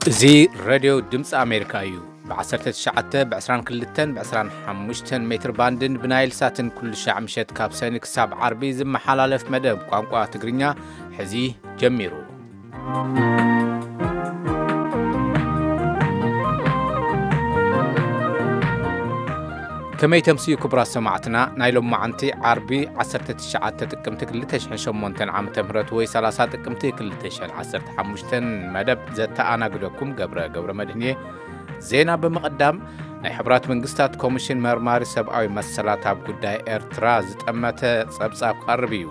እዚ ሬድዮ ድምፂ ኣሜሪካ እዩ። ብ19፣ ብ22፣ ብ25 ሜትር ባንድን ብናይል ሳትን ኩሉ ሻዕ ምሸት ካብ ሰኒ ክሳብ ዓርቢ ዝመሓላለፍ መደብ ቋንቋ ትግርኛ ሕዚ ጀሚሩ። ከመይ ተምስዩ ክቡራት ሰማዕትና፣ ናይ ሎማዓንቲ ዓርቢ ዓሰርተ ትሽዓተ ጥቅምቲ ክልተ ሽሕን ሸሞንተን ዓመተ ምህረት ወይ ሰላሳ ጥቅምቲ ክልተ ሽሕን ዓሰርተ ሓሙሽተን መደብ ዘተኣናግደኩም ገብረ ገብረ መድህን እየ። ዜና ብምቕዳም፣ ናይ ሕቡራት መንግስታት ኮሚሽን መርማሪ ሰብኣዊ መሰላት ኣብ ጉዳይ ኤርትራ ዝጠመተ ጸብጻብ ክቐርብ እዩ።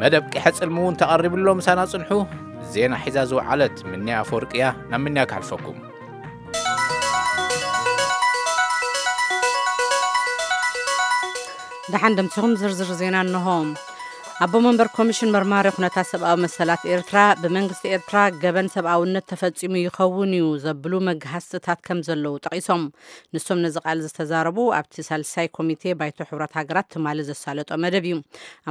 መደብ ቂሐ ጽልሚ እውን ተቐሪቡ ኣሎ፣ ምሳና ጽንሑ። ዜና ሒዛ ዝወዓለት ምንያ ኣፈወርቂ እያ። ናብ ምንያ ክሓልፈኩም። ደሓን ደምሲኹም ዝርዝር ዜና እንሆ። ኣቦ መንበር ኮሚሽን መርማሪ ኩነታት ሰብኣዊ መሰላት ኤርትራ፣ ብመንግስቲ ኤርትራ ገበን ሰብኣውነት ተፈጺሙ ይኸውን እዩ ዘብሉ መግሃስትታት ከም ዘለዉ ጠቒሶም። ንሶም ነዚ ቃል ዝተዛረቡ ኣብቲ ሳልሳይ ኮሚቴ ባይቶ ሕቡራት ሃገራት ትማሊ ዘሳለጦ መደብ እዩ።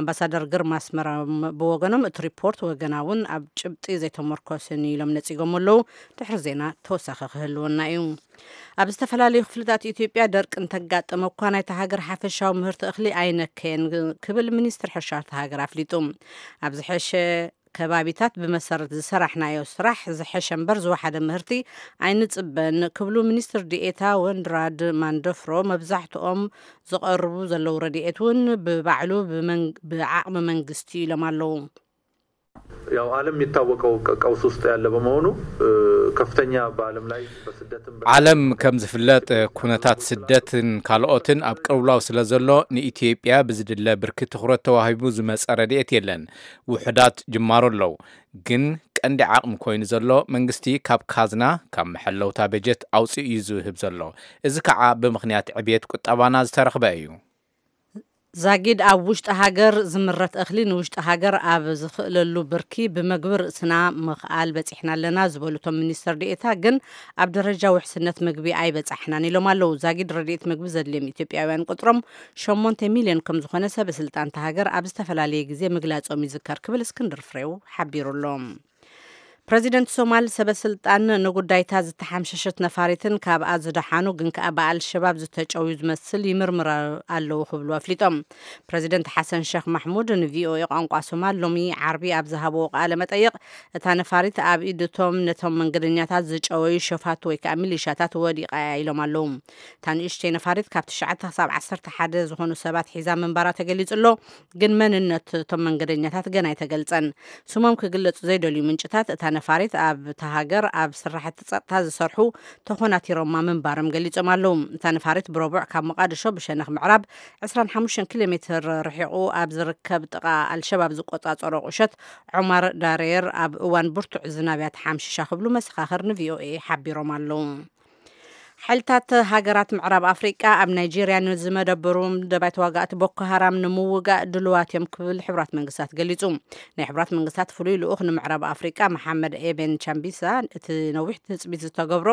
ኣምባሳደር ግርማ ኣስመሮም ብወገኖም፣ እቲ ሪፖርት ወገናውን ኣብ ጭብጢ ዘይተመርኮሰን እዩ ኢሎም ነጺጎም ኣለዉ። ድሕሪ ዜና ተወሳኺ ክህልወና እዩ። ኣብ ዝተፈላለዩ ክፍልታት ኢትዮጵያ ደርቂ እንተጋጠመ እኳ፣ ናይታ ሃገር ሓፈሻዊ ምህርቲ እኽሊ ኣይነከየን ክብል ሚኒስትር ሕርሻ እታ ሃገር ኣፍሊጡ። ኣብ ዝሐሸ ከባቢታት ብመሰረት ዝሰራሕናዮ ስራሕ ዝሐሸ እምበር ዝወሓደ ምህርቲ ኣይንጽበን ክብሉ ሚኒስትር ዲኤታ ወንድራድ ማንደፍሮ፣ መብዛሕትኦም ዝቐርቡ ዘለዉ ረድኤት እውን ብባዕሉ ብመንግ-፣ ብዓቕሚ መንግስቲ ኢሎም ኣለዉ። ያው ዓለም የሚታወቀው ቀ-፣ ቀውስ ውስጥ ያለ በመሆኑ፣ እ፣ ከፍተኛ በዓለም ላይ በስደትም በ- ዓለም ከም ዝፍለጥ፣ ኩነታት ስደትን ካልኦትን ኣብ ቅልውላው ስለ ዘሎ፣ ንኢትዮጵያ ብዝድለ ብርኪ ትኹረት ተዋሂቡ ዝመጸ ረድኤት የለን። ውሑዳት ጅማሮ ኣለዉ፣ ግን ቀንዲ ዓቕሚ ኮይኑ ዘሎ መንግስቲ ካብ ካዝና፣ ካብ መሐለውታ በጀት ኣውጺኡ እዩ ዝህብ ዘሎ። እዚ ከዓ ብምኽንያት ዕብየት ቁጠባና ዝተረኽበ እዩ። ዛጊድ ኣብ ውሽጢ ሃገር ዝምረት እኽሊ ንውሽጢ ሃገር ኣብ ዝኽእለሉ ብርኪ ብመግቢ ርእስና ምኽኣል በፂሕና ኣለና ዝበሉ እቶም ሚኒስትር ዴኤታ፣ ግን ኣብ ደረጃ ውሕስነት ምግቢ ኣይበፃሕናን ኢሎም ኣለዉ። ዛጊድ ረድኤት ምግቢ ዘድልዮም ኢትዮጵያውያን ቁፅሮም ሸሞንተ ሚልዮን ከም ዝኾነ ሰበ ስልጣን እታ ሃገር ኣብ ዝተፈላለየ ግዜ ምግላፆም ይዝከር ክብል እስክንድር ፍሬው ሓቢሩ ኣሎ። ፕረዚደንት ሶማል ሰበ ስልጣን ንጉዳይታ ዝተሓምሸሸት ነፋሪትን ካብኣ ዝደሓኑ ግን ከኣ ብኣልሸባብ ዝተጨውዩ ዝመስል ይምርምር ኣለዉ ክብሉ ኣፍሊጦም። ፕረዚደንት ሓሰን ሸኽ ማሕሙድ ንቪኦኤ ቋንቋ ሶማል ሎሚ ዓርቢ ኣብ ዝሃብዎ ቃለ መጠይቕ፣ እታ ነፋሪት ኣብ ኢድ እቶም ነቶም መንገደኛታት ዝጨወዩ ሸፋቱ ወይ ከኣ ሚሊሻታት ወዲቓ እያ ኢሎም ኣለዉ። እታ ንእሽተይ ነፋሪት ካብ ትሽዓተ ክሳብ ዓሰርተ ሓደ ዝኾኑ ሰባት ሒዛ ምንባራ ተገሊጹ ኣሎ። ግን መንነት እቶም መንገደኛታት ገና ኣይተገልጸን። ስሞም ክግለጹ ዘይደልዩ ምንጭታት፣ እታ ነፋሪት ኣብታ ሃገር ኣብ ስራሕቲ ጸጥታ ዝሰርሑ ተኾናቲሮማ ምንባሮም ገሊጾም ኣለዉ። እታ ነፋሪት ብረቡዕ ካብ ሞቓድሾ ብሸነኽ ምዕራብ ዕስራን ሓሙሽተን ኪሎ ሜትር ርሒቑ ኣብ ዝርከብ ጥቓ ኣልሸባብ ዝቆጻጸሮ ቁሸት ዖማር ዳሬር ኣብ እዋን ብርቱዕ ዝናብ እያ ተሓምሺሻ ክብሉ መሰኻኽር ንቪኦኤ ሓቢሮም ኣለዉ። ሓይልታት ሃገራት ምዕራብ ኣፍሪቃ ኣብ ናይጄርያ ንዝመደበሩ ደባይ ተዋጋእቲ ቦኮ ሃራም ንምውጋእ ድልዋት እዮም ክብል ሕቡራት መንግስታት ገሊጹ። ናይ ሕቡራት መንግስታት ፍሉይ ልኡኽ ንምዕራብ ኣፍሪቃ መሓመድ ኤቤን ቻምቢሳ፣ እቲ ነዊሕ ትጽቢት ዝተገብሮ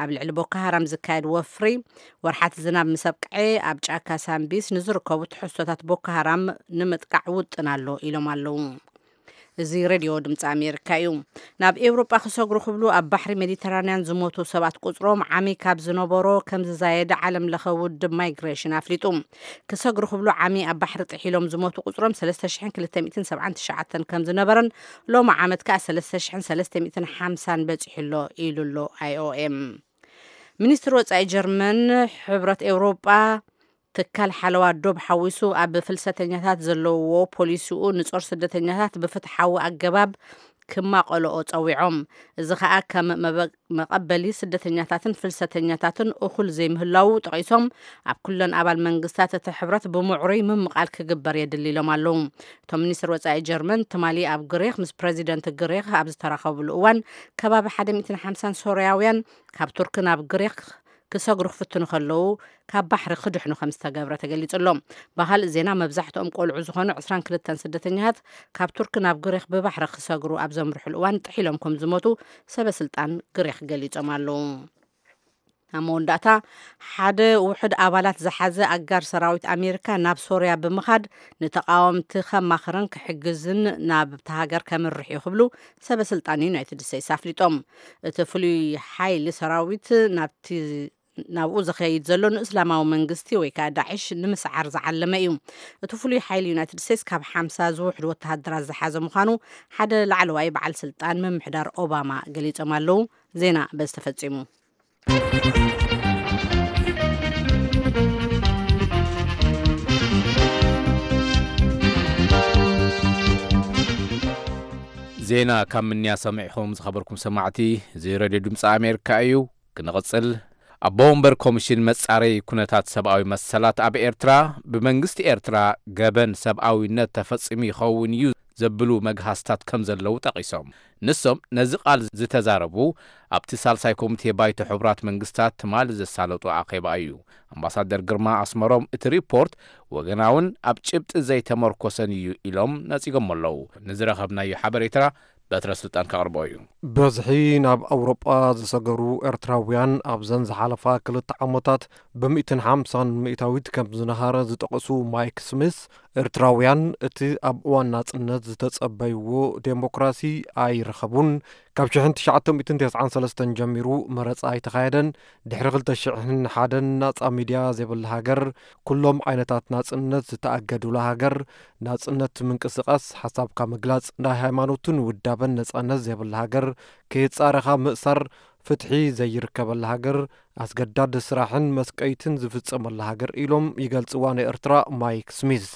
ኣብ ልዕሊ ቦኮ ሃራም ዝካየድ ወፍሪ ወርሓት ዝናብ ምስ ኣብቅዐ፣ ኣብ ጫካ ሳምቢስ ንዝርከቡ ትሕዝቶታት ቦኮ ሃራም ንምጥቃዕ ውጥን ኣሎ ኢሎም ኣለዉ። እዚ ሬድዮ ድምፂ ኣሜሪካ እዩ። ናብ ኤውሮጳ ክሰግሩ ክብሉ ኣብ ባሕሪ ሜዲተራንያን ዝሞቱ ሰባት ቁፅሮም ዓሚ ካብ ዝነበሮ ከም ዝዛየደ ዓለም ለኸ ውድብ ማይግሬሽን ኣፍሊጡ። ክሰግሩ ክብሉ ዓሚ ኣብ ባሕሪ ጥሒሎም ዝሞቱ ቁፅሮም ሰለስተ ሽሕን ክልተ ሚእትን ሰብዓን ትሽዓተን ከም ዝነበረን ሎሚ ዓመት ከኣ ሰለስተ ሽሕን ሰለስተ ሚእትን ሓምሳን በፂሑ ኣሎ ኢሉ ኣሎ ኣይኦኤም። ሚኒስትር ወጻኢ ጀርመን፣ ሕብረት ኤውሮጳ ትካል ሓለዋ ዶብ ሓዊሱ ኣብ ፍልሰተኛታት ዘለውዎ ፖሊሲኡ ንጾር ስደተኛታት ብፍትሓዊ ኣገባብ ክማቐልኦ ጸዊዖም። እዚ ኸኣ ከም መበ-፣ መቐበሊ ስደተኛታትን ፍልሰተኛታትን እኹል ዘይምህላዉ ጠቒሶም፣ ኣብ ኩለን ኣባል መንግስታት እቲ ሕብረት ብምዕሩይ ምምቓል ክግበር የድሊ ኢሎም ኣለዉ። እቶም ሚኒስትር ወጻኢ ጀርመን ትማሊ ኣብ ግሪኽ ምስ ፕረዚደንት ግሪኽ ኣብ ዝተራኸብሉ እዋን፣ ከባቢ ሓደ ሚእትን ሓምሳን ሶርያውያን ካብ ቱርኪ ናብ ግሪኽ ክሰግሩ ክፍትኑ ከለዉ ካብ ባሕሪ ክድሕኑ ከም ዝተገብረ ተገሊጹ ኣሎ። ብኻልእ ዜና፣ መብዛሕትኦም ቆልዑ ዝኾኑ ዕስራን ክልተን ስደተኛታት ካብ ቱርኪ ናብ ግሪኽ ብባሕሪ ክሰግሩ ኣብ ዘምርሑሉ እዋን ጥሒሎም ከም ዝሞቱ ሰበ ስልጣን ግሪኽ ገሊጾም ኣለዉ። ናብ መወዳእታ፣ ሓደ ውሑድ ኣባላት ዝሓዘ ኣጋር ሰራዊት ኣሜሪካ ናብ ሶርያ ብምኻድ፣ ንተቓወምቲ ከማኽርን ክሕግዝን ናብታ ሃገር ከምርሕ እዩ ክብሉ ሰበ ስልጣን ዩናይትድ ስቴትስ ኣፍሊጦም። እቲ ፍሉይ ሓይሊ ሰራዊት ናብቲ ናብኡ ዝኸይድ ዘሎ ንእስላማዊ መንግስቲ ወይ ከዓ ዳዕሽ ንምስዓር ዝዓለመ እዩ። እቲ ፍሉይ ሓይሊ ዩናይትድ ስቴትስ ካብ ሓምሳ ዝውሕድ ወተሃደራት ዝሓዘ ምዃኑ ሓደ ላዕለዋይ በዓል ስልጣን ምምሕዳር ኦባማ ገሊጾም ኣለዉ። ዜና በዚ ተፈጺሙ። ዜና ካብ ምንያ ሰሚዕኹም ዝኸበርኩም ሰማዕቲ፣ እዚ ሬድዮ ድምፂ ኣሜሪካ እዩ። ክንቕፅል፣ ኣቦ ወንበር ኮሚሽን መፃረይ ኩነታት ሰብኣዊ መሰላት ኣብ ኤርትራ፣ ብመንግስቲ ኤርትራ ገበን ሰብኣዊነት ተፈፂሙ ይኸውን እዩ ዘብሉ መግሃስታት ከም ዘለዉ ጠቒሶም። ንሶም ነዚ ቃል ዝተዛረቡ ኣብቲ ሳልሳይ ኮሚቴ ባይቶ ሕቡራት መንግስታት ትማሊ ዘሳለጡ ኣኼባ እዩ። ኣምባሳደር ግርማ ኣስመሮም፣ እቲ ሪፖርት ወገናውን ኣብ ጭብጢ ዘይተመርኮሰን እዩ ኢሎም ነጺጎም ኣለዉ። ንዝረኸብናዮ ሓበሬታ በትረ ስልጣን ከቕርቦ እዩ። በዝሒ ናብ ኣውሮጳ ዝሰገሩ ኤርትራውያን ኣብዘን ዝሓለፋ ክልተ ዓመታት ብሚእትን ሓምሳን ሚእታዊት ከም ዝነሃረ ዝጠቐሱ ማይክ ስሚስ፣ ኤርትራውያን እቲ ኣብ እዋን ናጽነት ዝተጸበይዎ ዴሞክራሲ ኣይረኸቡን። ካብ ሽሕን ትሽዓተ ሚእትን ተስዓን ሰለስተን ጀሚሩ መረጻ ኣይተኻየደን። ድሕሪ ክልተ ሽሕን ሓደን ናጻ ሚድያ ዘይብላ ሃገር፣ ኩሎም ዓይነታት ናጽነት ዝተኣገዱላ ሃገር፣ ናጽነት ምንቅስቓስ፣ ሓሳብካ ምግላጽ፣ ናይ ሃይማኖትን ውዳበን ነጻነት ዘይብላ ሃገር፣ ከየጻረኻ ምእሳር፣ ፍትሒ ዘይርከበላ ሃገር፣ ኣስገዳድ ስራሕን መስቀይትን ዝፍጸመላ ሃገር ኢሎም ይገልጽዋ ንኤርትራ ማይክ ስሚዝ።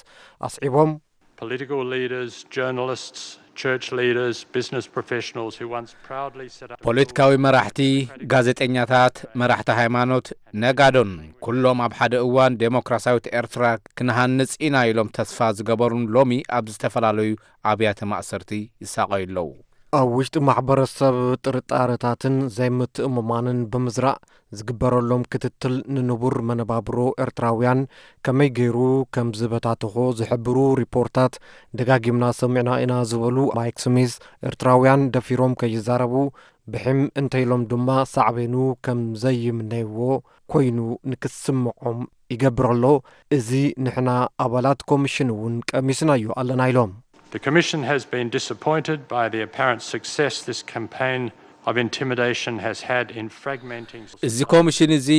ኣስዒቦም፣ Political leaders, journalists, church leaders, business professionals who once proudly set up ፖለቲካዊ መራሕቲ፣ ጋዜጠኛታት፣ መራሕቲ ሃይማኖት፣ ነጋዶን፣ ኩሎም ኣብ ሓደ እዋን ዴሞክራሲያዊት ኤርትራ ክንሃንጽ ኢና ኢሎም ተስፋ ዝገበሩን ሎሚ ኣብ ዝተፈላለዩ ኣብያተ ማእሰርቲ ይሳቐዩ ኣለዉ። ኣብ ውሽጢ ማሕበረሰብ ጥርጣረታትን ዘይምትእምማንን ብምዝራእ ዝግበረሎም ክትትል ንንቡር መነባብሮ ኤርትራውያን ከመይ ገይሩ ከም ዝበታተኾ ዝሕብሩ ሪፖርታት ደጋጊምና ሰሚዕና ኢና ዝበሉ ማይክ ስሚዝ፣ ኤርትራውያን ደፊሮም ከይዛረቡ ብሕም እንተኢሎም ድማ ሳዕቤኑ ከም ዘይምነይዎ ኮይኑ ንክስምዖም ይገብር ኣሎ። እዚ ንሕና ኣባላት ኮሚሽን እውን ቀሚስናዮ ኣለና ኢሎም። The Commission has been disappointed by the apparent success this campaign of intimidation has had in fragmenting እዚ ኮሚሽን እዚ፣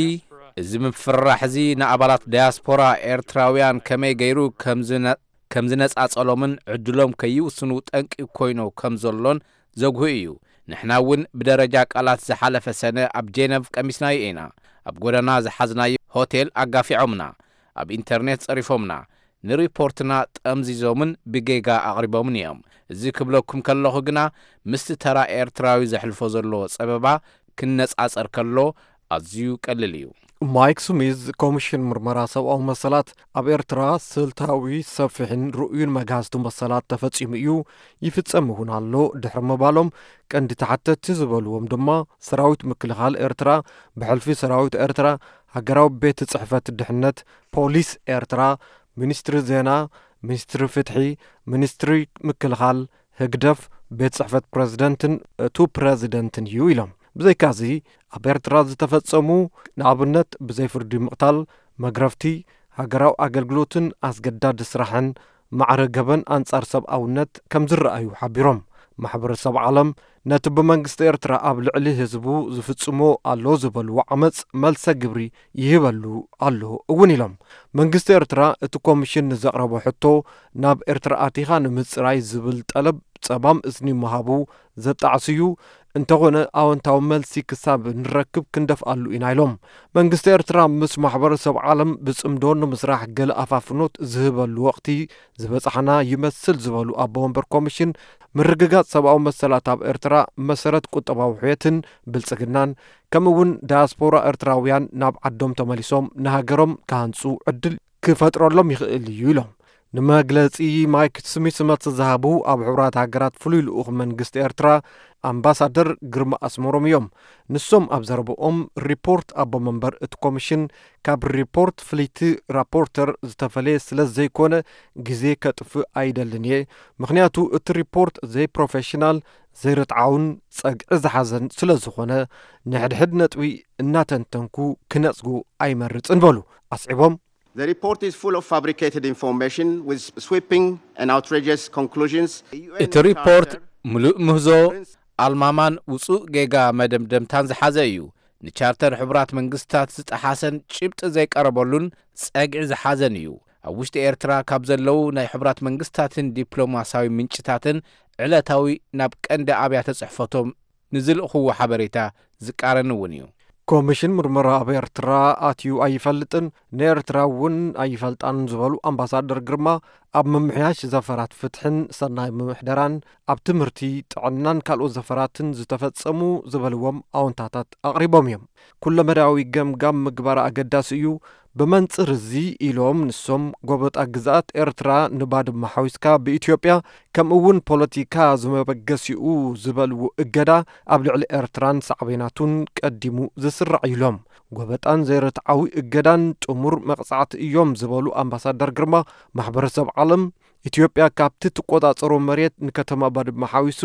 እዚ ምፍርራሕ እዚ ንኣባላት ዳያስፖራ ኤርትራውያን ከመይ ገይሩ ከም ዝነ-፣ ከም ዝነጻጸሎምን ዕድሎም ከይውስኑ ጠንቂ ኮይኑ ከም ዘሎን ዘጉሂ እዩ። ንሕና እውን ብደረጃ ቃላት ዝሓለፈ ሰነ ኣብ ጄነቭ ቀሚስናዮ ኢና። ኣብ ጎደና ዝሓዝናዮ ሆቴል ኣጋፊዖምና፣ ኣብ ኢንተርኔት ጸሪፎምና፣ ንሪፖርትና ጠምዚዞምን ብጌጋ ኣቕሪቦምን እዮም። እዚ ክብለኩም ከለኹ ግና ምስቲ ተራ ኤርትራዊ ዘሕልፎ ዘሎ ጸበባ ክነጻጸር ከሎ ኣዝዩ ቀሊል እዩ። ማይክ ስሚዝ፣ ኮሚሽን ምርመራ ሰብኣዊ መሰላት ኣብ ኤርትራ ስልታዊ፣ ሰፊሕን ርኡዩን መግሃስቲ መሰላት ተፈጺሙ እዩ፣ ይፍጸም እውን ኣሎ ድሕሪ ምባሎም፣ ቀንዲ ተሓተትቲ ዝበልዎም ድማ ሰራዊት ምክልኻል ኤርትራ፣ ብሕልፊ ሰራዊት ኤርትራ፣ ሃገራዊ ቤት ጽሕፈት ድሕነት፣ ፖሊስ ኤርትራ፣ ሚኒስትሪ ዜና፣ ሚኒስትሪ ፍትሒ፣ ሚኒስትሪ ምክልኻል፣ ህግደፍ፣ ቤት ጽሕፈት ፕረዚደንትን እቱ ፕረዚደንትን እዩ ኢሎም። ብዘይካዚ ኣብ ኤርትራ ዝተፈጸሙ ንኣብነት ብዘይ ፍርዲ ምቕታል፣ መግረፍቲ፣ ሃገራዊ ኣገልግሎትን ኣስገዳዲ ስራሕን ማዕረ ገበን ኣንጻር ሰብኣውነት ከም ዝረኣዩ ሓቢሮም። ማሕበረሰብ ዓለም ነቲ ብመንግስቲ ኤርትራ ኣብ ልዕሊ ህዝቡ ዝፍጽሞ ኣሎ ዝበልዎ ዓመጽ መልሰ ግብሪ ይህበሉ ኣሎ እውን ኢሎም። መንግስቲ ኤርትራ እቲ ኮሚሽን ንዘቕረቦ ሕቶ ናብ ኤርትራ ኣቲኻ ንምጽራይ ዝብል ጠለብ ጸማም እዝኒ ምሃቡ ዘጣዕስ እዩ። እንተኾነ ኣወንታዊ መልሲ ክሳብ ንረክብ ክንደፍኣሉ ኢና ኢሎም። መንግስቲ ኤርትራ ምስ ማሕበረሰብ ዓለም ብጽምዶ ንምስራሕ ገለ ኣፋፍኖት ዝህበሉ ወቕቲ ዝበጻሕና ይመስል ዝበሉ ኣቦ ወንበር ኮሚሽን፣ ምርግጋጽ ሰብኣዊ መሰላት ኣብ ኤርትራ መሰረት ቁጠባዊ ሕየትን ብልጽግናን፣ ከምኡ እውን ዳያስፖራ ኤርትራውያን ናብ ዓዶም ተመሊሶም ንሃገሮም ክሃንጹ ዕድል ክፈጥረሎም ይኽእል እዩ ኢሎም። ንመግለጺ ማይክ ስሚት መልሲ ዝሃቡ ኣብ ሕቡራት ሃገራት ፍሉይ ልኡኽ መንግስቲ ኤርትራ ኣምባሳደር ግርማ ኣስመሮም እዮም። ንሶም ኣብ ዘረብኦም፣ ሪፖርት ኣቦ መንበር እቲ ኮሚሽን ካብ ሪፖርት ፍልይቲ ራፖርተር ዝተፈለየ ስለ ዘይኮነ፣ ግዜ ከጥፍእ ኣይደልን እየ። ምኽንያቱ እቲ ሪፖርት ዘይፕሮፌሽናል፣ ዘይርትዓውን ጸግዒ ዝሓዘን ስለ ዝኾነ፣ ንሕድሕድ ነጥቢ እናተንተንኩ ክነጽጉ ኣይመርጽን በሉ። ኣስዒቦም፣ The report is full of fabricated information with sweeping and outrageous conclusions. እቲ ሪፖርት ምሉእ ምህዞ፣ ኣልማማን ውጹእ ጌጋ መደምደምታን ዝሓዘ እዩ። ንቻርተር ሕቡራት መንግስታት ዝጠሓሰን ጭብጢ ዘይቀረበሉን ጸግዒ ዝሓዘን እዩ። ኣብ ውሽጢ ኤርትራ ካብ ዘለዉ ናይ ሕቡራት መንግስታትን ዲፕሎማስያዊ ምንጭታትን ዕለታዊ ናብ ቀንዲ ኣብያተ ጽሕፈቶም ንዝልእኽዎ ሓበሬታ ዝቃረን እውን እዩ። ኮሚሽን ምርመራ ኣብ ኤርትራ ኣትዩ ኣይፈልጥን፣ ንኤርትራ እውን ኣይፈልጣን ዝበሉ ኣምባሳደር ግርማ፣ ኣብ ምምሕያሽ ዘፈራት ፍትሕን ሰናይ ምምሕደራን፣ ኣብ ትምህርቲ፣ ጥዕናን ካልኦት ዘፈራትን ዝተፈጸሙ ዝበልዎም ኣወንታታት ኣቕሪቦም እዮም። ኩለመዳያዊ ገምጋም ምግባር ኣገዳሲ እዩ። ብመንጽር እዚ ኢሎም ንሶም፣ ጎበጣ ግዝኣት ኤርትራ ንባድመ ሓዊስካ ብኢትዮጵያ፣ ከምኡ እውን ፖለቲካ ዝመበገሲኡ ዝበልዎ እገዳ ኣብ ልዕሊ ኤርትራን ሳዕቤናቱን ቀዲሙ ዝስራዕ ኢሎም። ጎበጣን ዘይርትዓዊ እገዳን ጥሙር መቕጻዕቲ እዮም ዝበሉ ኣምባሳደር ግርማ፣ ማሕበረሰብ ዓለም ኢትዮጵያ ካብቲ ትቆጻጸሮ መሬት ንከተማ ባድመ ሓዊሱ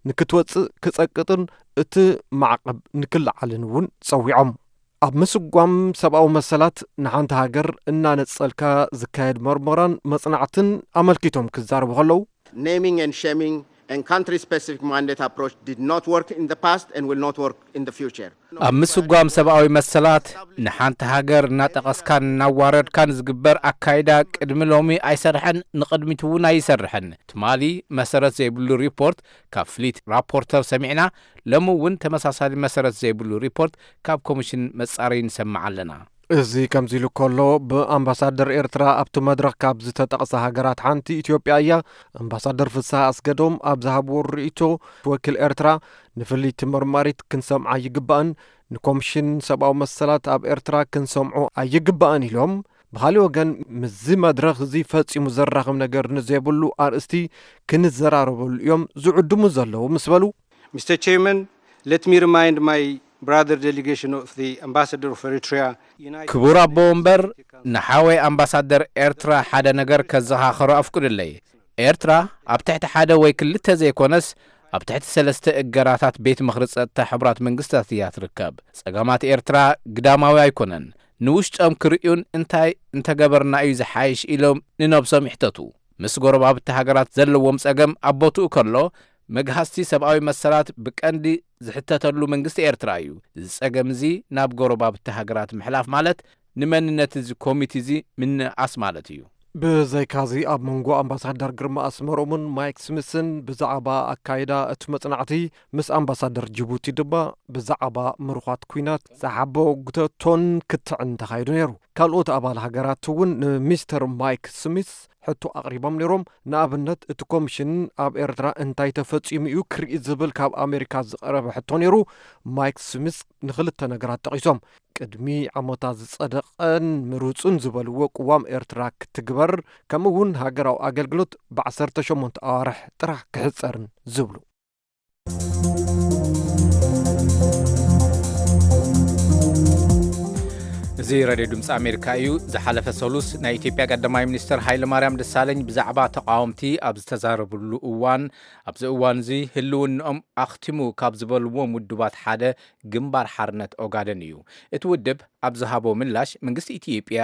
ንክትወጽእ ክጸቅጥን እቲ ማዕቐብ ንክለዓልን እውን ጸዊዖም። ኣብ ምስጓም ሰብኣዊ መሰላት ንሓንቲ ሃገር እናነጸልካ ዝካየድ መርመራን መጽናዕትን ኣመልኪቶም ክዛረቡ ከለዉ፣ Naming and shaming and country-specific mandate approach did not work in the past and will not work in the future. ኣብ ምስጓም ሰብኣዊ መሰላት ንሓንቲ ሃገር እናጠቐስካን እናዋረድካን ዝግበር ኣካይዳ ቅድሚ ሎሚ ኣይሰርሐን፣ ንቕድሚት እውን ኣይሰርሕን። ትማሊ መሰረት ዘይብሉ ሪፖርት ካብ ፍሊት ራፖርተር ሰሚዕና፣ ሎሚ እውን ተመሳሳሊ መሰረት ዘይብሉ ሪፖርት ካብ ኮሚሽን መጻረዪ ንሰምዕ ኣለና። እዚ ከምዚ ኢሉ ከሎ፣ ብኣምባሳደር ኤርትራ ኣብቲ መድረኽ ካብ ዝተጠቕሰ ሃገራት ሓንቲ ኢትዮጵያ እያ። ኣምባሳደር ፍስሃ ኣስገዶም ኣብ ዝሃብዎ ርእይቶ፣ ወኪል ኤርትራ ንፍልይቲ መርማሪት ክንሰምዓ ኣይግባእን፣ ንኮምሽን ሰብኣዊ መሰላት ኣብ ኤርትራ ክንሰምዖ ኣይግባእን ኢሎም። ብኻሊእ ወገን፣ ምስዚ መድረኽ እዚ ፈጺሙ ዘራኽብ ነገር ንዘይብሉ ኣርእስቲ ክንዘራረበሉ እዮም ዝዕድሙ ዘለዉ ምስ በሉ፣ Mister Chairman, let me remind my brother delegation of the Ambassador of Eritrea, United ክቡር ኣቦ ወንበር፣ ንሓወይ ኣምባሳደር ኤርትራ ሓደ ነገር ከዘኻኽሮ ኣፍቅዱለይ። ኤርትራ ኣብ ትሕቲ ሓደ ወይ ክልተ ዘይኮነስ፣ ኣብ ትሕቲ ሰለስተ እገዳታት ቤት ምኽሪ ጸጥታ ሕቡራት መንግስታት እያ ትርከብ። ጸገማት ኤርትራ ግዳማዊ ኣይኮነን። ንውሽጦም ክርእዩን እንታይ እንተገበርና እዩ ዝሓይሽ ኢሎም ንነብሶም ይሕተቱ። ምስ ጎረባብቲ ሃገራት ዘለዎም ጸገም ኣብ ቦትኡ ከሎ፣ መግሃስቲ ሰብኣዊ መሰላት ብቀንዲ ዝሕተተሉ መንግስቲ ኤርትራ እዩ። እዚ ጸገም እዚ ናብ ጎረባብቲ ሃገራት ምሕላፍ ማለት ንመንነት እዚ ኮሚቲ እዚ ምንኣስ ማለት እዩ። ብዘይካዚ፣ ኣብ መንጎ ኣምባሳደር ግርማ ኣስመሮምን ማይክ ስሚስን ብዛዕባ ኣካይዳ እቲ መጽናዕቲ፣ ምስ ኣምባሳደር ጅቡቲ ድማ ብዛዕባ ምሩኻት ኲናት ዝሓበ ጉተቶን ክትዕን ተኻይዱ ነይሩ። ካልኦት ኣባል ሃገራት እውን ንሚስተር ማይክ ስሚስ ሕቶ ኣቕሪቦም ነይሮም። ንኣብነት፣ እቲ ኮሚሽን ኣብ ኤርትራ እንታይ ተፈጺሙ እዩ ክርኢ ዝብል ካብ ኣሜሪካ ዝቐረበ ሕቶ ነይሩ። ማይክ ስሚስ ንኽልተ ነገራት ጠቒሶም። ቅድሚ ዓመታት ዝጸደቐን ምሩጽን ዝበልዎ ቅዋም ኤርትራ ክትግበር፣ ከምኡ እውን ሃገራዊ ኣገልግሎት ብዓሰርተ ሸሞንተ ኣዋርሕ ጥራሕ ክሕጸርን ዝብሉ። እዚ ሬድዮ ድምፂ ኣሜሪካ እዩ። ዝሓለፈ ሰሉስ ናይ ኢትዮጵያ ቀዳማይ ሚኒስትር ሃይለማርያም ደሳለኝ ብዛዕባ ተቃወምቲ ኣብ ዝተዛረብሉ እዋን፣ ኣብዚ እዋን እዚ ህልውንኦም ኣኽቲሙ ካብ ዝበልዎም ውድባት ሓደ ግንባር ሓርነት ኦጋደን እዩ። እቲ ውድብ ኣብ ዝሃቦ ምላሽ፣ መንግስቲ ኢትዮጵያ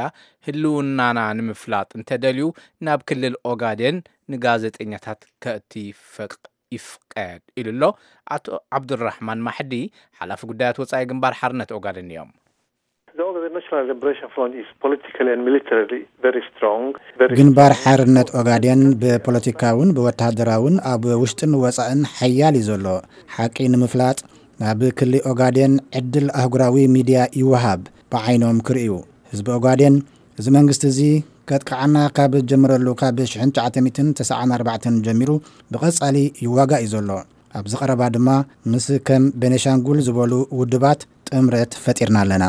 ህልውናና ንምፍላጥ እንተደልዩ ናብ ክልል ኦጋዴን ንጋዜጠኛታት ከእቲ ፈቅ-፣ ይፍቀድ ኢሉ ኣሎ። ኣቶ ዓብዱራሕማን ማሕዲ፣ ሓላፊ ጉዳያት ወጻኢ ግንባር ሓርነት ኦጋዴን እዮም። The Ogaden National Liberation Front is politically and militarily very strong, very ግንባር strong. ሓርነት ኦጋዴን ብፖለቲካውን ብወታደራውን ኣብ ውሽጥን ወጻእን ሓያል እዩ ዘሎ። ሓቂ ንምፍላጥ፣ ናብ ክሊ ኦጋዴን ዕድል ኣህጉራዊ ሚድያ ይወሃብ። ብዓይኖም ክርእዩ፣ ህዝቢ ኦጋዴን፣ እዚ መንግስቲ እዚ ከጥቅዓና ካብ ጀምረሉ ካብ ሽሕን ትሽዓተ ሚእትን ተስዓን ኣርባዕተን ጀሚሩ ብቐጻሊ ይዋጋእ እዩ ዘሎ። ኣብዚ ቀረባ ድማ ምስ ከም ቤኔሻንጉል ዝበሉ ውድባት ጥምረት ፈጢርና ኣለና።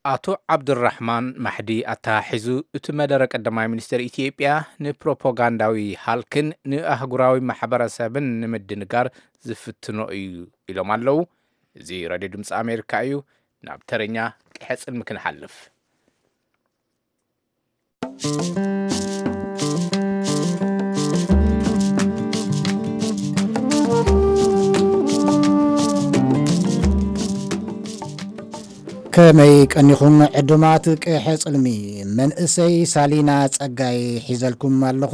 ኣቶ ዓብዱራሕማን ማሕዲ ኣተሓሒዙ፣ እቲ መደረ ቀዳማይ ሚኒስትር ኢትዮጵያ ንፕሮፓጋንዳዊ ሃልክን ንኣህጉራዊ ማሕበረሰብን ንምድንጋር ዝፍትኖ እዩ ኢሎም ኣለዉ። እዚ ሬድዮ ድምፂ ኣሜሪካ እዩ። ናብ ተረኛ ቅሐ ጽልሚ ክንሓልፍ። ከመይ ቀኒኹም ዕዱማት ቅሐ ጽልሚ? መንእሰይ ሳሊና ጸጋይ ሒዘልኩም ኣለኹ።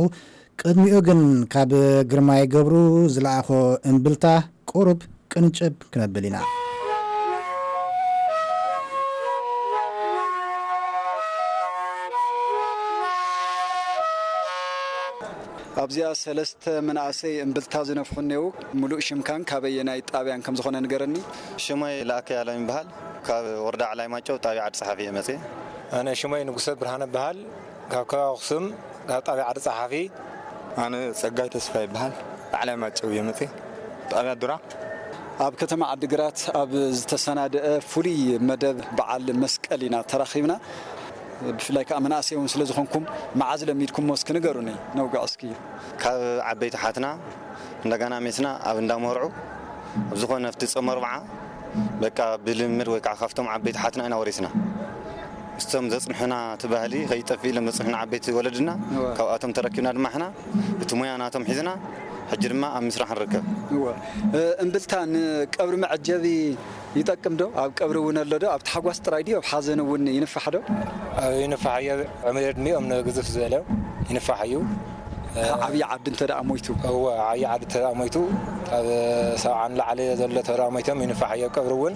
ቅድሚኡ ግን ካብ ግርማይ ገብሩ ዝለኣኾ እምብልታ ቁሩብ ቅንጭብ ክነብል ኢና። ኣብዚኣ ሰለስተ መናእሰይ እምብልታ ዝነፍሑ እኔዉ። ሙሉእ ሽምካን ካበየናይ ጣብያን ከም ዝኾነ ንገረኒ። ሽመይ ለኣከ ያለው ይበሃል። ካብ ወረዳ ዓላይ ማጨው ጣብያ ዓዲ ጸሓፊ እየ መጽየ። ኣነ ሽመይ ንጉሰ ብርሃነ በሃል። ካብ ከባቢ ኣኽሱም፣ ካብ ጣብያ ዓዲ ጸሓፊ። ኣነ ጸጋይ ተስፋ ይበሃል። ዓላይ ማጨው እየ መጽየ። ጣብያ ዱራ። ኣብ ከተማ ዓዲግራት ኣብ ዝተሰናደአ ፍሉይ መደብ በዓል መስቀል ኢና ተራኺብና። ብፍላይ ከዓ መናእሰይ እውን ስለ ዝኾንኩም፣ መዓዝ ለሚድኩሞ እስኪ ንገሩኒ፣ ነውግዕ እስኪ። ካብ ዓበይቲ ሓትና እንደገና ሜስና ኣብ እንዳመርዑ ኣብ ዝኾነ ኣብቲ ጾም ኣርብዓ በቃ ብልምድ ወይ ከዓ ካብቶም ዓበይቲ ሓትና ኢና ወሪስና። ምስቶም ዘጽንሑና እቲ ባህሊ ከይጠፍእ ኢሎም ዘጽንሑና ዓበይቲ ወለድና፣ እወ። ካብኣቶም ተረኪብና ድማ ሕና እቲ ሞያ ናቶም ሒዝና ሕጂ ድማ ኣብ ምስራሕ ንርከብ። እወ። እ፣ እምብልታ ንቀብሪ መዐጀቢ ይጠቅም ዶ? ኣብ ቀብሪ እውን ኣሎ ዶ? ኣብ ታሕጓስ ጥራይ ድዩ? ኣብ ሓዘን እውን ይንፋሕ ዶ? ኣብ ይንፋሕ እዩ። ዕድመ ዕድሚኦም ንግዝፍ ዝበለ ይንፋሕ እዩ። ዓብዪ ዓዲ እንተ ደኣ ሞይቱ? እወ፣ ዓብዪ ዓዲ እንተ ደኣ ሞይቱ፣ ካብ ሰብዓ ንላዕሊ ዘሎ እንተ ደኣ ሞይቶም ይንፋሕ እዩ። ኣብ ቀብሪ እውን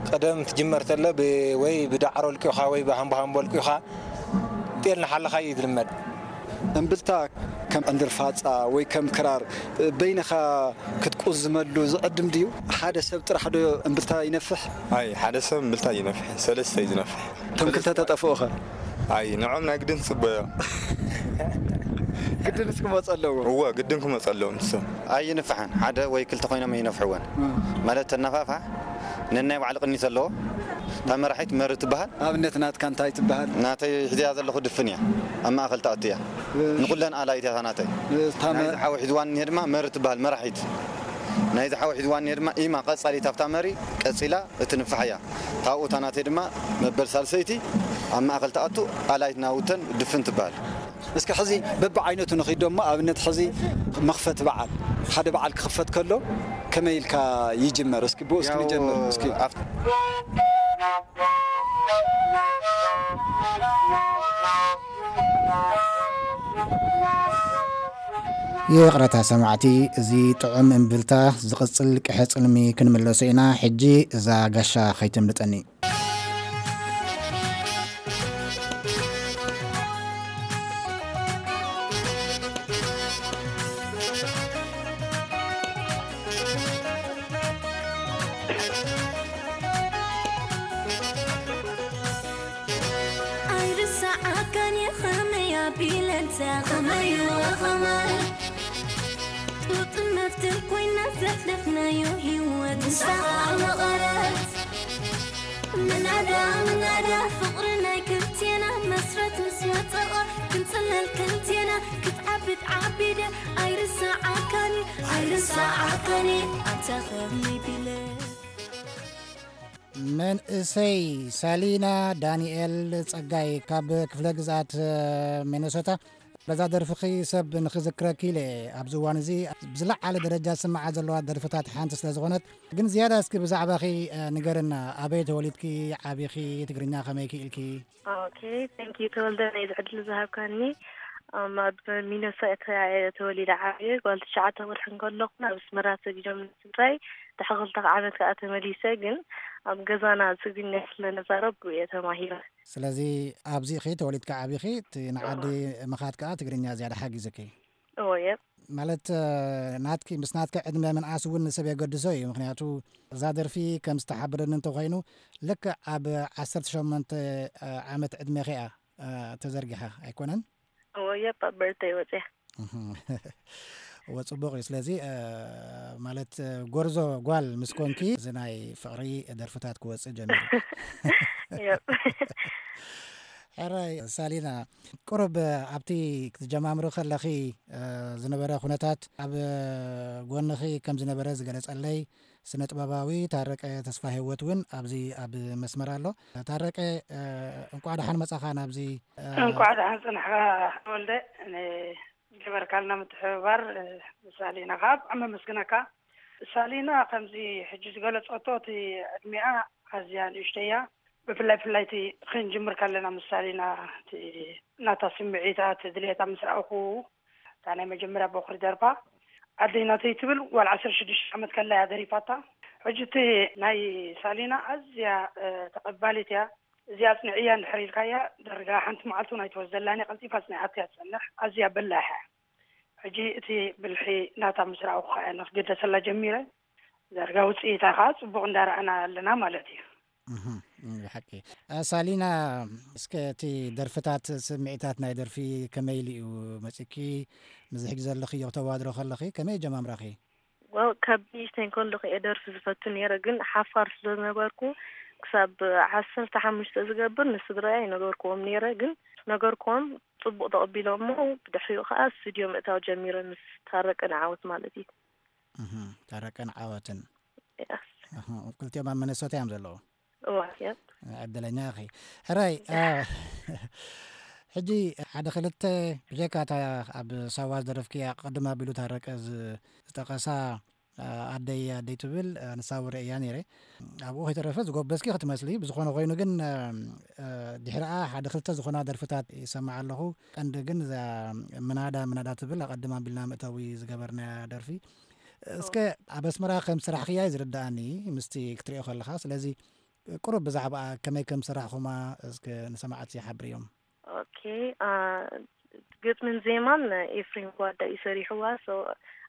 ቀደም ትጅመር ተሎ ብ-፣ ወይ ብዳዕሮ ልቂኻ ወይ ብሃምቦሃምቦ ልቂኻ ጤል ንሓለኻ እዩ ዝልመድ። እምብልታ ከም ዕንድር ፋጻ ወይ ከም ክራር በይንኻ ክትቁዝመሉ ዝዕድም ድዩ? ሓደ ሰብ ጥራሕ ዶ እምብልታ ይነፍሕ? ኣይ፣ ሓደ ሰብ እምብልታ ይነፍሕ፣ ሰለስተ እዩ ዝነፍሕ። እቶም ክልተ ተጠፍኡ ኸ? ኣይ፣ ንዖም ናይ ግድን ትጽበዮ። ግድን ክመጽ ኣለዎ። እወ፣ ግድን ክመጽ ኣለዎ ንሶም። ኣይንፍሓን፣ ሓደ ወይ ክልተ ኮይኖም ኣይነፍሕወን። እም። ማለት ተነፋፋሕ ነናይ ባዕሉ ቅኒት ኣለዎ። እታ መራሒት መሪ ትበሃል። ኣብነት ናትካ እንታይ ትበሃል? ናተይ ሒዝያ ዘለኹ ድፍን እያ። ኣብ ማእኸል ትኣቱ እያ። እ- ንኹለን ኣላይት እያ እታ ናተይ። እ- እታ መ- ናይዚ ሓው ሒዝዋን እኒሄ ድማ መሪ ትበሃል መራሒት። ናይዚ ሓው ሒዝዋን እኒሄ ድማ ኢማ ቀጻሊት ኣብታ መሪ ቀጺላ እትንፋሕ እያ። ታብኡ እታ ናተይ ድማ መበል ሳልሰይቲ ኣብ ማእኸል ትኣቱ ኣላይት ናውተን ድፍን ትበሃል። እስኪ ሕዚ በብዓይነቱ ንኺድ ዶሞ፣ ኣብነት ሕዚ መኽፈቲ በዓል፣ ሓደ በዓል ክኽፈት ከሎ ከመይ ኢልካ ይጅመር? እስኪ ብኡ እስኪ ያው ንጀምር እስኪ። ኣብቲ ይቕረታ ሰማዕቲ፣ እዚ ጥዑም እምብልታ ዝቕጽል ቅሐ ጽልሚ ክንምለሶ ኢና። ሕጂ እዛ ጋሻ ከይተምልጠኒ። ኣይርሳዓካን እየ ኸመይ ኣቢለ እንተ ኸመይ ወኸመይ። ጡጥን መፍትን ኮይና ዘሕለፍናዮ ህይወት ንሳኻ መቐረት። ምናዳ ምናዳ ፍቕሪ ናይ ክልቴና መስረት ምስ ወፀቐ ክንፅለል ክልቴና ክትዓቢ ትዓቢደ ኣይርሳዓካን እየ ኣይርሳዓካን እየ ኣታ ኸመይ ቢለ። መንእሰይ ሳሊና ዳንኤል ጸጋይ ካብ ክፍለ ግዝኣት ሚነሶታ፣ በዛ ደርፍኺ ሰብ ንኽዝክረኪ ኢለ እየ። ኣብዚ እዋን እዚ ብዝለዓለ ደረጃ ዝስምዓ ዘለዋ ደርፍታት ሓንቲ ስለ ዝኾነት፣ ግን ዝያዳ እስኪ ብዛዕባኺ ንገርና። ኣበይ ተወሊድኪ ዓቢኺ? ትግርኛ ከመይ ክኢልኪ? ኦኬ፣ thank you ተወልደ፣ ነዚ ዕድል ዝሃብካኒ። ኣም፣ ኣብ ሚነሶታ እየ ተወሊደ ዓብየ። ጓል ትሽዓተ ወርሒ እንከለኹ ናብ ኣስመራ ሰዲዶም ስድራይ። ድሕሪ ክልተ ዓመት ከኣ ተመሊሰ፣ ግን ኣብ ገዛና ትግርኛ ስለ ንዛረብ ብኡ እየ ተማሂረ። ስለዚ ኣብዚ ኢኺ ተወሊድካ ዓቢኺ፣ እቲ ንዓዲ ምኻድ ከኣ ትግርኛ ዝያዳ ሓጊዙኪ? እወ፣ እየ። ማለት፣ እ፣ ናትኪ፣ ምስ ናትኪ ዕድመ ምንኣስ እውን ንሰብ የገድሶ እዩ። ምኽንያቱ እዛ ደርፊ ከም ዝተሓበረኒ እንተኾይኑ፣ ልክዕ ኣብ ዓሰርተ ሸሞንተ ዓመት ዕድሜኺ እያ፣ እ፣ ተዘርጊሓ ኣይኮነን? እወ፣ እየ፣ ኣብ በርተይ ወፅያ። እህ። እወ፣ ጽቡቕ እዩ። ስለዚ፣ እ፣ ማለት፣ እ፣ ጎርዞ ጓል ምስ ኮንኪ፣ እዚ ናይ ፍቕሪ ደርፍታት ክወጽእ ጀሚሩ። Yep. ሕራይ ሳሊና፣ ቁሩብ ኣብቲ ክትጀማምሪ ከለኺ ዝነበረ ኩነታት ኣብ ጎንኺ ከም ዝነበረ ዝገለጸለይ ስነ ጥበባዊ ታረቀ ተስፋ ህይወት እውን ኣብዚ ኣብ መስመር ኣሎ። ታረቀ፣ እንቋዕ ደሓን መጻኻ ናብዚ። እንቋዕ ደሓን ጽናሕካ ወልደ። ገበርካልና ምትሕብባር። ሳሊና ከዓ ብጣዕሚ ኣመስግነካ። ሳሊና ከምዚ ሕጂ ዝገለጸቶ እቲ ዕድሚኣ ኣዝያ ንእሽተያ። ብፍላይ ፍላይ እቲ ክንጅምር ከለና ምስ ሳሊና እቲ ናታ ስምዒታት ድሌታ ምስ ረኣኹ፣ እታ ናይ መጀመርያ ቦኽሪ ደርፋ ኣደይ ናተይ ትብል ጓል ዓሰርተ ሽዱሽተ ዓመት ከላ እያ ደሪፋታ። ሕጂ እቲ ናይ ሳሊና ኣዝያ ተቐባሊት እያ። እዚኣ ኣጽንዕያ እንድሕር ኢልካያ፣ ዳርጋ ሓንቲ መዓልቲ እውን ኣይትወስደላን እያ፣ ቀልጢፋ ኣጽኒዓቶ እያ ትጸንሕ። ኣዝያ በላሕ እያ። ሕጂ እቲ ብልሒ ናታ ምስ ረኣኹ ከኣ እየ ንኽግደሰላ ጀሚረ። ዳርጋ ውጽኢታ ከኣ ጽቡቕ እንዳረኣና ኣለና ማለት እዩ። ብሓቂ። ሳሊና፣ እስከ እቲ ደርፍታት፣ ስምዒታት ናይ ደርፊ ከመይ ኢሉ እዩ መጺኪ? ምስዚ ሕጂ ዘለኽዮ ክተዋድሮ ከለኺ ከመይ ጀማምራኺ? ዋው፣ ካብ ንእሽተይ ከለኹ እየ ደርፊ ዝፈቱ ነይረ፣ ግን ሓፋር ስለ ዝነበርኩ ክሳብ ዓሰርተ ሓሙሽተ ዝገብር ንስድራይ ኣይነገርክዎም ነይረ። ግን ነገርክዎም፣ ጽቡቕ ተቐቢሎሞ። ብድሕሪኡ ከኣ ስቱድዮ ምእታው ጀሚረ ምስ ታረቀን ዓወት ማለት እዩ። እህ፣ ታረቀን ዓወትን። Yes። እህ፣ ክልቲኦም ኣብ ሚነሶታ እዮም ዘለዉ። እዋ፣ yep። ዕድለኛ ኢኺ። ሕራይ፣ አ፣ ሕጂ ሓደ ክልተ ብጀካ እታ ኣብ ሳዋ ዝደረፍክያ ቅድም ኣቢሉ ታረቀ ዝ-፣ ዝጠቀሳ፣ አ፣ ኣደይ ኣደይ ትብል፣ አ፣ ንሳ ውረ እያ ነይረ። ኣብኡ ከይተረፈ ዝጎበዝኪ ክትመስሊ። ብዝኾነ ኮይኑ ግን፣ አ፣ አ፣ ድሕሪኣ ሓደ ክልተ ዝኾና ደርፍታት ይሰማዕ ኣለኹ። ቀንዲ ግን እዛ ምናዳ ምናዳ ትብል ኣቐድም ኣቢልና መእተዊ ዝገበርናያ ደርፊ። እስከ ኣብ ኣስመራ ከም ስራሕክያ እዩ ዝርድኣኒ ምስቲ ክትሪኦ ከለኻ። ስለዚ ቁሩብ ብዛዕባኣ ከመይ ከም ሰራሕኹማ እስከ ንሰማዕቲ ሓብርዮም። ኦኬ፣ አ፣ ግጥምን ዜማን ኤፍሬም ጓዳ እዩ ሰሪሕዋ። So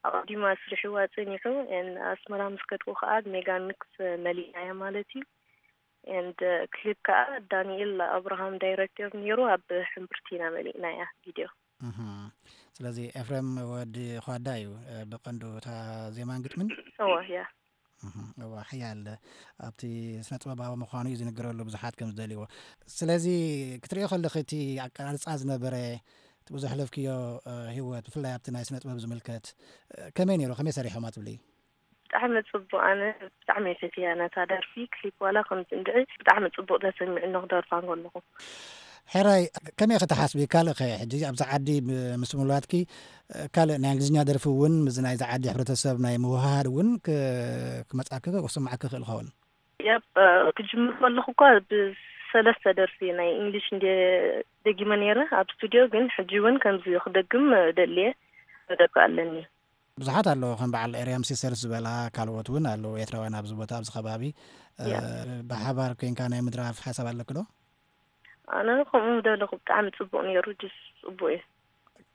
ኣቐዲሙ ኣስሪሕዋ ጸኒሑ፣ and ኣስመራ ምስ ከድኩ ከኣ ሜጋ ሚክስ መሊእናያ ማለት እዩ። And ክሊፕ ከኣ ዳንኤል ኣብርሃም ዳይሬክተር ነይሩ፣ ኣብ ሕምብርቲ ኢና መሊእናያ ቪድዮ። እህ። ስለዚ ኤፍሬም ወዲ ኳዳ እዩ፣ እ፣ ብቐንዱ እታ ዜማን ግጥምን። እወ፣ ያ። እህ፣ እወ፣ ሓያል ኣብቲ ስነ ጥበባዊ ምዃኑ እዩ ዝንገረሉ፣ ብዙሓት ከም ዝደልይዎ። ስለዚ ክትሪኦ ከለኺ እቲ ኣቀራርጻ ዝነበረ፣ እቲ ብዙሕ ለፍክዮ፣ እ፣ ህይወት፣ ብፍላይ ኣብቲ ናይ ስነ ጥበብ ዝምልከት፣ እ፣ ከመይ ነይሩ? ከመይ ሰሪሖማ ትብሊ? ብጣዕሚ ጽቡቕ። ኣነ ብጣዕሚ እየ ፈትያ ነታ ደርፊ። ክሊፕ ዋላ ከምዚ እንድዒ ብጣዕሚ ጽቡቕ ተሰሚዑኒ ክደርፋ እንከለኹ። ሕራይ፣ ከመይ ኢኺ ትሓስቢ? ካልእ ኸ፣ ሕጂ ኣብዚ ዓዲ ብ-፣ ምስ ምውላድኪ፣ ካልእ ናይ እንግሊዝኛ ደርፊ እውን ምስዚ ናይዚ ዓዲ ሕብረተሰብ ናይ ምውህሃድ እውን ክ-፣ ክመጻኪ ክስምዓኪ ይኽእል ይኸውን። ያብ፣ ክጅምር ከለኹ እኳ ብሰለስተ ደርፊ ናይ እንግሊሽ እንደ ደጊመ ነይረ ኣብ ስቱድዮ፣ ግን ሕጂ እውን ከምዚ ክደግም ደልየ መደብ ኣለኒ። ብዙሓት ኣለዉ፣ ከም በዓል ኤርያም ሲስተርስ ዝበላ ካልኦት እውን ኣለዉ ኤርትራውያን ኣብዚ ቦታ ኣብዚ ከባቢ። እ፣ ያ። ብሓባር ኮንካ ናይ ምድራፍ ሓሳብ ኣለኪ ዶ? ኣነ ከምኡ ምደለኹ ብጣዕሚ ጽቡቕ ነይሩ፣ ጅስ ጽቡቕ እዩ።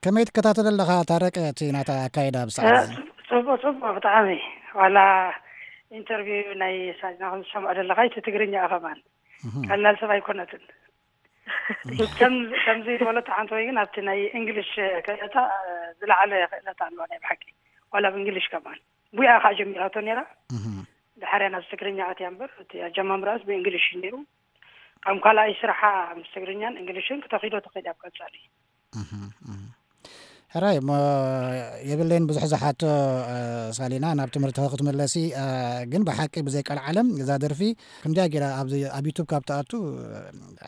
ከመይ ትከታተሎ ኣለኻ ታረቀ እቲ ናታ ኣካይዳ ኣብዚ ሰዓት እዚ? ጽቡቕ፣ ጽቡቕ ብጣዕሚ። ዋላ ኢንተርቪው ናይ ሳጅና ከም ዝሰምዖ ዘለኻ እቲ ትግርኛ ከማን እህ። ቀላል ሰብ ኣይኮነትን። ከም፣ ከምዚ ዝበለቶ ሓንቲ ወይ ግን ኣብቲ ናይ እንግሊሽ ክእለታ፣ እ፣ ዝለዓለ ክእለታ ኣለዋ ናይ ብሓቂ። ዋላ ብ እንግሊሽ ከማን። ቡያ ከኣ ጀሚራቶ ነይራ። እህ። ድሓርያ ናብዚ ትግርኛ ኣትያ እምበር፣ እቲ ኣጀማምራስ ብእንግሊሽ እዩ ነይሩ። ከም ካልኣይ ስራሓ ምስ ትግርኛን እንግሊሽን ክተኺዶ ትኽእል እያ ብቀጻሊ። እህ፣ እህ። ሕራይ፣ እሞ የብለይን ብዙሕ ዝሓቶ፣ እ፣ ሳሊና፣ ናብ ትምህርቲ ክትምለሲ፣ እ፣ ግን ብሓቂ ብዘይ ቀልዓለም እዛ ደርፊ ክንደያ ገይራ ኣብዚ፣ ኣብ ዩቱብ ካብ ትኣቱ፣ እ፣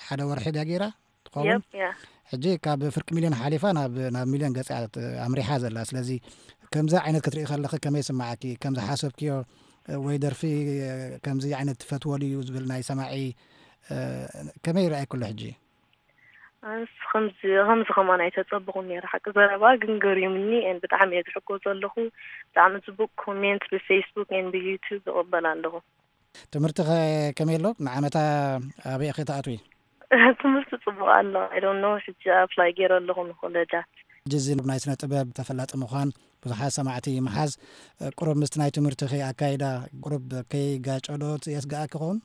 ሓደ ወርሒ ድያ ገይራ ትኸውን? የብ፣ ያ። ሕጂ ካብ ፍርቂ ሚልዮን ሓሊፋ ናብ፣ ናብ ሚልዮን ገጽ እያ ት-፣ ኣምሪሓ ዘላ። ስለዚ ከምዚ ዓይነት ክትርኢ ከለኺ ከመይ ይስምዓኪ? ከም ዝሓሰብክዮ፣ እ፣ ወይ ደርፊ፣ እ፣ ከምዚ ዓይነት ትፈትዎ ድዩ ዝብል ናይ ሰማዒ፣ እ፣ ከመይ ይረኣየኪ ኣሎ ሕጂ? ኣነስ ከምዚ፣ ከምዚ ከማን ኣይተጸበኹን ነይረ። ሓቂ ዘረባ ግን ገሪሙኒ፣ and ብጣዕሚ እየ ዝሕጎ ዘለኹ። ብጣዕሚ ጽቡቕ ኮሜንት ብፌስቡክ and ብዩቱብ እቕበል ኣለኹ። ትምህርቲ ኸ ከመይ ኣሎ? ንዓመታ ኣበይ ኢኺ ትኣትዊ? ትምህርቲ ጽቡቕ ኣሎ። I don't know፣ ሕጂ ኣፕላይ ገይረ ኣለኹ ንኮለጃት። ሕጂ እዚ ናይ ስነ ጥበብ ተፈላጢ ምዃን፣ ብዙሓት ሰማዕቲ ምሓዝ፣ ቁሩብ ምስቲ ናይ ትምህርትኺ ኣካይዳ ቁሩብ ከይጋጨ ዶ የስግኣኪ ይኸውን?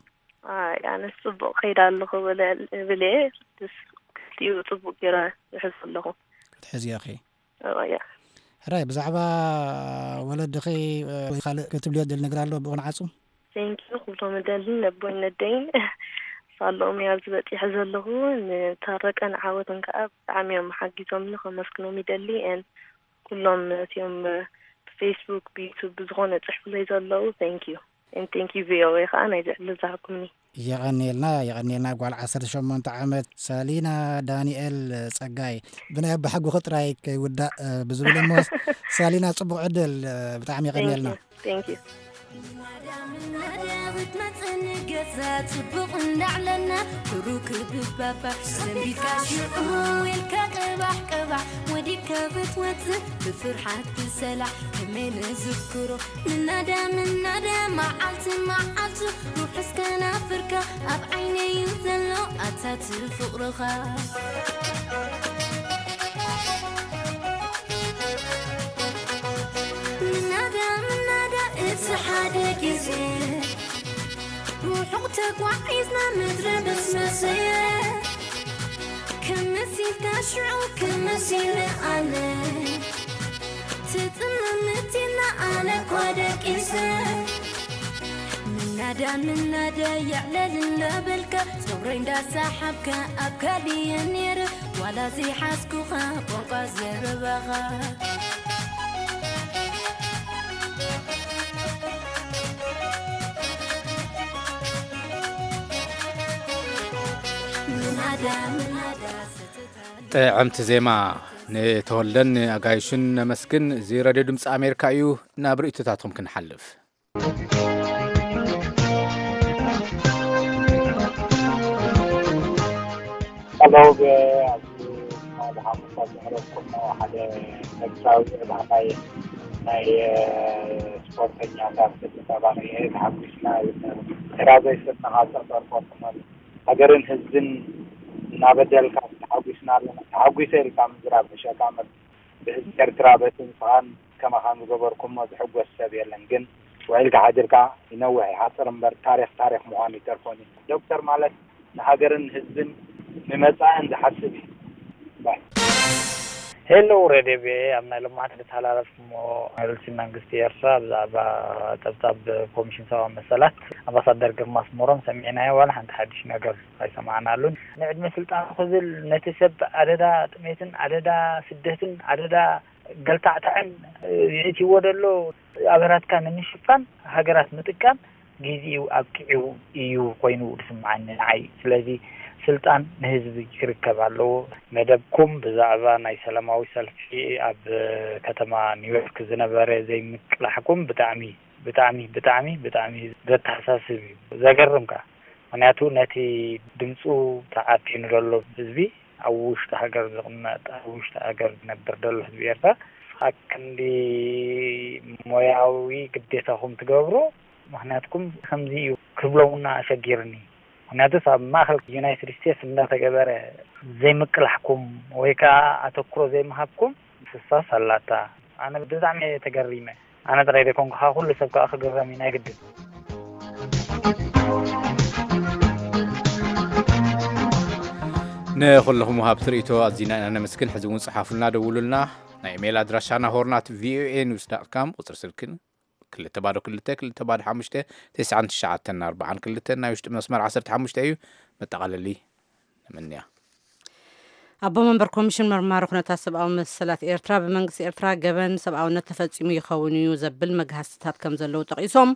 ኣይ፣ ኣነስ ጽቡቕ ከይደ ኣለኹ እብል፣ እብል እየ። ደስ፣ ክልቲኡ ጽቡቕ ገይረ ይሕዝ ኣለኹ። ክትሕዝዮ ኢኺ? እወ፣ እያ። ሕራይ፣ ብዛዕባ ወለድኺ፣ እ፣ ወይ ካልእ ክትብልዮ ትደሊ ነገር ኣሎ ብኡ ንዓጹ? Thank you፣ ክብሎም እደሊ ነቦይን ነደይን። ኣለዎም እየ ኣብዚ በፂሐ ዘለኹ። ንታረቀን ዓወትን ከዓ ብጣዕሚ እዮም ሓጊዞምኒ፣ ከመስግኖም ይደሊ። And ኩሎም ነቲኦም ብፌስቡክ፣ ብዩቱብ፣ ብዝኾነ ፅሕፉለይ ዘለዉ፣ thank you። And thank you ቪኦኤ ከዓ ናይዚ ዕድል ዝሃብኩምኒ። የቐንየልና፣ የቐንየልና። ጓል ዓሰርተ ሸሞንተ ዓመት ሰሊና ዳንኤል ጸጋይ። ብናይ ኣባሓጎኺ ጥራይ ከይውዳእ፣ እ፣ ብዝብል እሞ፣ ሰሊና፣ ጽቡቕ ዕድል፣ እ፣ ብጣዕሚ የቐንየልና። Thank you. Thank you. ምናዳ ምናዳ ክትመጽኒ ገዛ ጽቡቕ እንዳዕለና ክሩክ ብባባ ሰንቢድካ ሽዑ ኢልካ ቅባሕ ቅባሕ ወዲካ ክትወጽእ ብፍርሓት ብሰላሕ ከመይ ንዝክሮ ምናዳ ምናዳ መዓልቲ መዓልቱ ሩሕ እስከ ናፍርካ ኣብ ዓይነይ እዩ ዘሎ ኣታ እቲ ፍቕርኻ። ምናዳ ምናዳ እቲ ሓደ ግዜ ርሑቕ ተጓዒዝና ምድሪ በስመሰየ ከም መሲልካ ሽዑ ከም መሲለ ኣነ ትጥምምት ኢልና ኣነ እኳ ደቂሰ ምናዳ ምናዳ የዕለል እንዳበልካ ጸጉረይ እንዳሰሓብካ ኣብ ካልየ ነይረ ዋላ ዘይሓዝኩኻ ቋንቋ ዘረባኻ። ምናዳ ምናዳ ሰተታ ጥዕምቲ ዜማ። ንተወልደን ንኣጋይሹን ነመስግን። እዚ ሬድዮ ድምፂ ኣሜሪካ እዩ። ናብ ርእይቶታትኩም ክንሓልፍ። ሄሎ፣ ኣብዚ ትማሊ ሓሙስ ኣብ ዘቕረብኩሞ ሓደ ኤርትራዊ ዕላማይ ናይ ስፖርተኛታት ተባባሪ እየ፣ ተሓጒስና ይብል ነይሩ። ኤርትራ ዘይስእንኻ ጸጸር ቆርጥመሉ። ሃገርን ህዝብን እናበደልካ ተሓጒስና ኣለና። ተሓጒሰ ኢልካ ምዝራብ ሕሸካ እምበር ብህዝቢ ኤርትራ በቲ ንስኻን ከማኻን ዝገበርኩሞ ዝሕጎስ ሰብ የለን። ግን ውዒልካ ሓዲርካ ይነውሕ ይሓጽር እምበር ታሪኽ ታሪኽ ምዃኑ ኣይተርፎን እዩ። ዶክተር ማለት ንሃገርን ንህዝብን ንመጻእን ዝሓስብ እዩ። ባይ። ሄሎ ሬድዮ ቪኦኤ፣ ኣብ ናይ ሎማዓንቲ ዝተሓላለፍኩሞ መብልሲ መንግስቲ ኤርትራ ብዛዕባ ጸብጻብ ኮሚሽን ሰብኣዊ መሰላት ኣምባሳደር ግርማ ኣስመሮም ሰሚዕናዮ ዋላ ሓንቲ ሓድሽ ነገር ኣይሰማዕናሉን። ንዕድመ ስልጣኑ ክብል ነቲ ሰብ ኣደዳ ጥሜትን ኣደዳ ስደትን ኣደዳ ገልታዕታዕን የእትይዎ ዘሎ ኣበራትካ ንምሽፋን ሃገራት ምጥቃም ጊዜኡ ኣብቂዑ እዩ ኮይኑ ዝስምዓኒ ንዓይ። ስለዚ ስልጣን ንህዝቢ ክርከብ ኣለዎ። መደብኩም ብዛዕባ ናይ ሰላማዊ ሰልፊ ኣብ ከተማ ኒውዮርክ ዝነበረ ዘይምቅላሕኩም ብጣዕሚ ብጣዕሚ ብጣዕሚ ብጣዕሚ ዘተሓሳስብ እዩ። ዘገርም ከኣ ምኽንያቱ ነቲ ድምፁ ተዓፊኑ ዘሎ ህዝቢ ኣብ ውሽጢ ሃገር ዝቕመጥ ኣብ ውሽጢ ሃገር ዝነብር ዘሎ ህዝቢ ኤርትራ ኣክንዲ ሞያዊ ግዴታኹም ትገብሩ ምኽንያትኩም ከምዚ እዩ ክብሎምና ኣሸጊርኒ። ምኽንያቱስ ኣብ ማእኸል ዩናይትድ ስቴትስ እንዳተገበረ ዘይምቅላሕኩም ወይ ከዓ ኣተኩሮ ዘይምሃብኩም ስሳስ ኣላታ። ኣነ ብጣዕሚ እየ ተገሪመ። ኣነ ጥራይ ዘይኮንኩ ከዓ ኩሉ ሰብ ከዓ ክግረም እዩ ናይ ግድን። ንኹልኹም ወሃብቲ ርእይቶ ኣዚና ኢና ነመስግን። ሕዚ እውን ጽሓፉልና፣ ደውሉልና። ናይ ኢሜይል ኣድራሻና ሆርናት ቪኦኤ ኒውስ ዳት ካም፣ ቁጽሪ ስልክን ክልተ ባዶ ክልተ ክልተ ባዶ ሓሙሽተ ተስዓን ትሽዓተን ኣርባዓን ክልተን ናይ ውሽጢ መስመር ዓሰርተ ሓሙሽተ እዩ። መጠቓለሊ ንምንያ። ኣቦ መንበር ኮሚሽን መርማሪ ኩነታት ሰብኣዊ መሰላት ኤርትራ ብመንግስቲ ኤርትራ ገበን ሰብኣውነት ተፈጺሙ ይኸውን እዩ ዘብል መግሃስትታት ከም ዘለዉ ጠቒሶም፣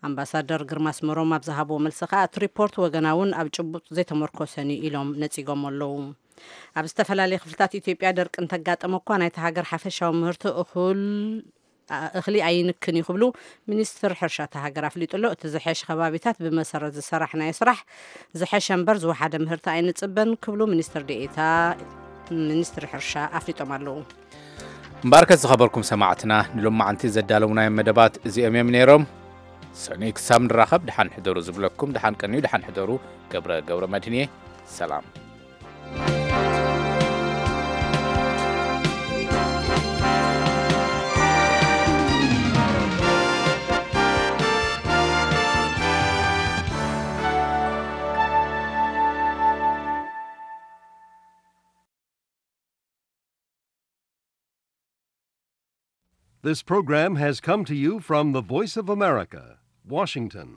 ኣምባሳደር ግርማ ኣስመሮም ኣብ ዝሃብዎ መልሲ ከኣ እቲ ሪፖርት ወገናውን ኣብ ጭቡጥ ዘይተመርኮሰን እዩ ኢሎም ነጺጎም ኣለዉ። ኣብ ዝተፈላለየ ክፍልታት ኢትዮጵያ ደርቂ እንተጋጠመ እኳ ናይታ ሃገር ሓፈሻዊ ምህርቲ እኹል እኽሊ ኣይንክን እዩ ክብሉ ሚኒስትር ሕርሻ እታ ሃገር ኣፍሊጡ ኣሎ። እቲ ዝሐሽ ከባቢታት ብመሰረት ዝሰራሕናዮ ስራሕ ዝሐሸ እምበር ዝወሓደ ምህርቲ ኣይንፅበን ክብሉ ሚኒስትር ዴኤታ ሚኒስትሪ ሕርሻ ኣፍሊጦም ኣለዉ። እምበኣርከስ ዝኸበርኩም ሰማዕትና ንሎማዓንቲ ዘዳለውናዮም መደባት እዚኦም እዮም ነይሮም። ሰኑይ ክሳብ ንራኸብ ደሓን ሕደሩ ዝብለኩም ደሓን ቀንዩ ደሓን ሕደሩ ገብረ ገብረ መድህን እየ። ሰላም። This program has come to you from the Voice of America, Washington.